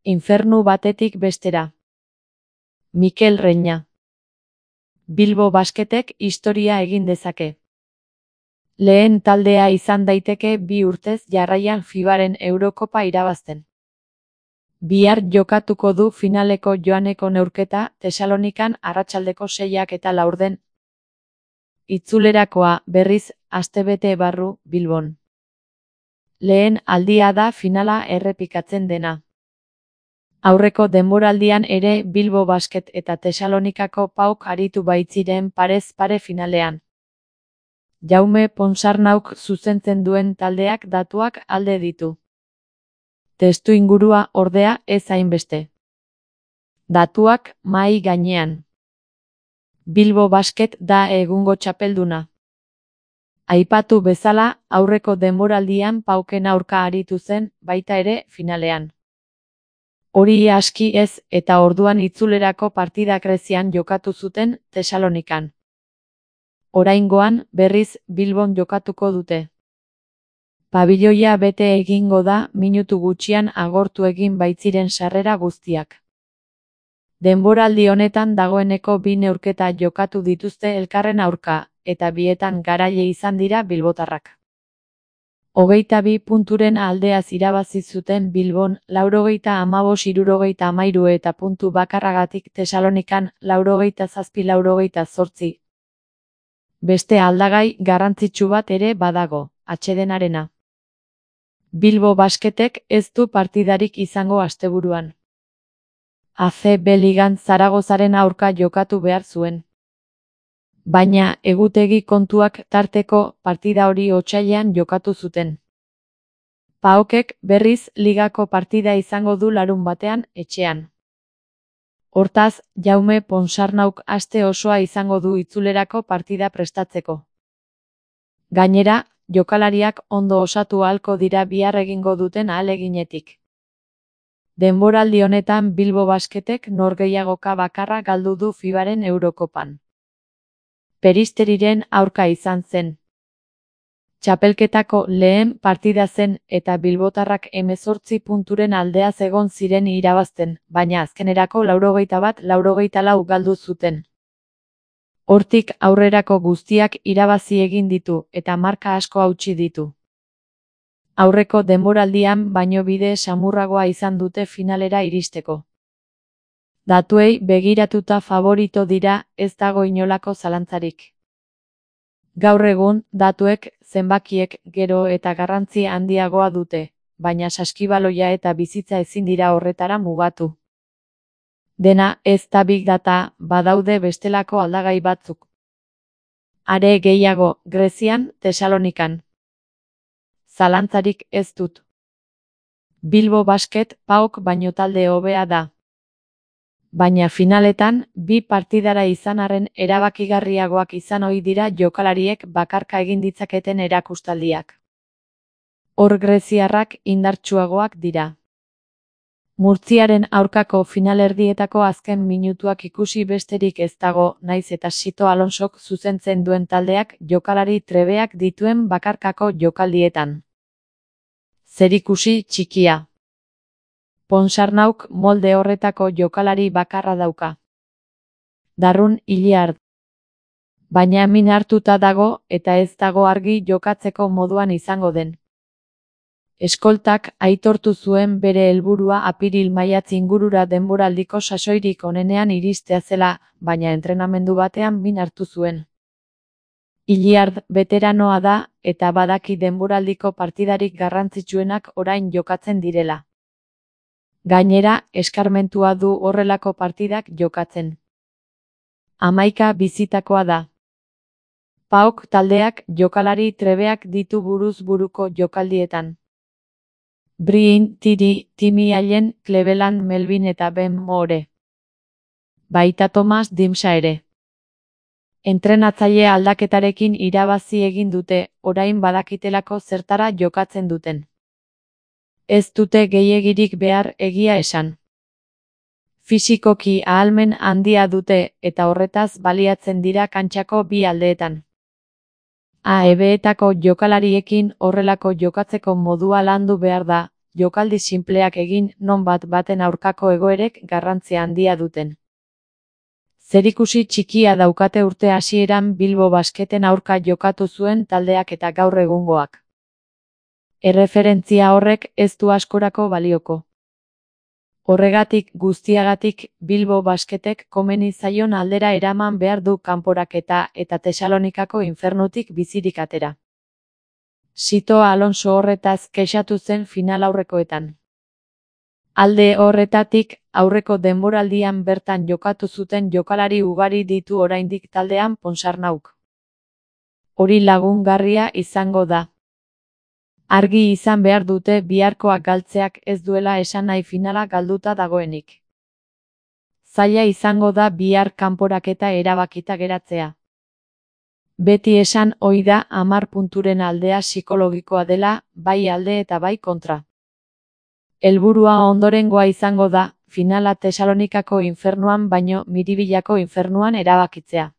Infernu batetik bestera. Mikel Reña. Bilbo Basketek historia egin dezake. Lehen taldea izan daiteke 2 urtez jarraian FIBaren Eurokopa irabazten. Bihar jokatuko du finaleko joaneko neurketa Tesalonikan arratsaldeko 6:04. Itzulerakoa, berriz, astebete barru, Bilbon. Lehen aldia da finala errepikatzen dena. Aurreko denboraldian ere Bilbo Basket eta Tesalonikako PAOK aritu baitziren parez pare finalean. Jaume Ponsarnauk zuzentzen duen taldeak datuak alde ditu. Testuingurua ordea ez hainbeste. Datuak mahai gainean. Bilbo Basket da egungo txapelduna. Aipatu bezala, aurreko denboraldian PAOKen aurka aritu zen, baita ere, finalean. Hori aski ez, eta orduan itzulerako partida Grezian jokatu zuten Tesalonikan. Oraingoan, berriz, Bilbon jokatuko dute. Pabiloia bete egingo da minutu gutxian agortu egin baitziren sarrera guztiak. Denboraldi honetan dagoeneko 2 neurketa jokatu dituzte elkarren aurka, eta bietan garaile izan dira bilbotarrak. 22 punturen aldeaz irabazi zuten Bilbon 95-63 eta puntu bakarragatik Tesalonikan 87-88. Beste aldagai garrantzitsu bat ere badago, atsedenarena. Bilbo Basketek ez du partidarik izango asteburuan. ACB Ligan Zaragozaren aurka jokatu behar zuen. Baina egutegi kontuak tarteko partida hori otsailean jokatu zuten. PAOKek berriz ligako partida izango du larunbatean etxean. Hortaz, Jaume Ponsarnauk aste osoa izango du itzulerako partida prestatzeko. Gainera, jokalariak ondo osatu ahalko dira bihar egingo duten ahaleginetik. Denboraldi honetan Bilbo Basketek norgehiagoka bakarra galdu du FIBaren Eurokopan. Peristeriren aurka izan zen. Txapelketako lehen partida zen eta bilbotarrak 18 punturen aldeaz egon ziren irabazten, baina azkenerako 81-84 galdu zuten. Hortik aurrerako guztiak irabazi egin ditu eta marka asko hautsi ditu. Aurreko denboraldian baino bide samurragoa izan dute finalera iristeko. Datuei begiratuta favorito dira, ez dago inolako zalantzarik. Gaur egun, datuek, zenbakiek, gero eta garrantzi handiagoa dute, baina saskibaloia eta bizitza ezin dira horretara mugatu. Dena ez da big data, badaude bestelako aldagai batzuk. Are gehiago, Grezian, Tesalonikan. Zalantzarik ez dut. Bilbo Basket PAOK baino talde hobea da. Baina finaletan, 2 partidara izan arren erabakigarriagoak izan ohi dira jokalariek bakarka egin ditzaketen erakustaldiak. Hor greziarrak indartsuagoak dira. Murtziaren aurkako finalerdietako azken minutuak ikusi besterik ez dago, naiz eta Sito Alonsok zuzentzen duen taldeak jokalari trebeak dituen bakarkako jokaldietan. Zerikusi txikia. Ponsarnauk molde horretako jokalari bakarra dauka. Darrun Iliard. Baina min hartuta dago eta ez dago argi jokatzeko moduan izango den. Eskoltak aitortu zuen bere helburua apiril-maiatz ingurura denboraldiko sasoirik onenean iristea zela, baina entrenamendu batean min hartu zuen. Iliard veteranoa da eta badaki denboraldiko partidarik garrantzitsuenak orain jokatzen direla. Gainera, eskarmentua du horrelako partidak jokatzen. 11 bizitakoa da. PAOK taldeak jokalari trebeak ditu buruz buruko jokaldietan. Brian Tiri, Timmy Allen, Cleveland Melvin eta Ben Moore. Baita Thomas Dimsa ere. Entrenatzaile aldaketarekin irabazi egin dute, orain badakitelako zertara jokatzen duten. Ez dute gehiegirik behar egia esan. Fisikoki ahalmen handia dute eta horretaz baliatzen dira kantxako 2 aldeetan. AEB-etako jokalariekin horrelako jokatzeko modua landu behar da, jokaldi sinpleak egin, non baten aurkako egoerek garrantzia handia duten. Zerikusi txikia daukate urte hasieran Bilbo Basketen aurka jokatu zuen taldeak eta gaur egungoak. Erreferentzia horrek ez du askorako balioko. Horregatik guztiagatik Bilbo Basketek komeni zaion aldera eraman behar du kanporaketa eta Tesalonikako infernutik bizirik atera. Sito Alonso horretaz kexatu zen finalaurrekoetan. Alde horretatik, aurreko denboraldian bertan jokatu zuten jokalari ugari ditu oraindik taldean Ponsarnauk. Hori lagungarria izango da. Argi izan behar dute biharkoak galtzeak ez duela esan nahi finala galduta dagoenik. Zaila izango da bihar kanporaketa erabakita geratzea. Beti esan ohi da 10 punturen aldea psikologikoa dela, bai alde eta bai kontra. Helburua ondorengoa izango da, finala Tesalonikako infernuan baino Miribillako infernuan erabakitzea.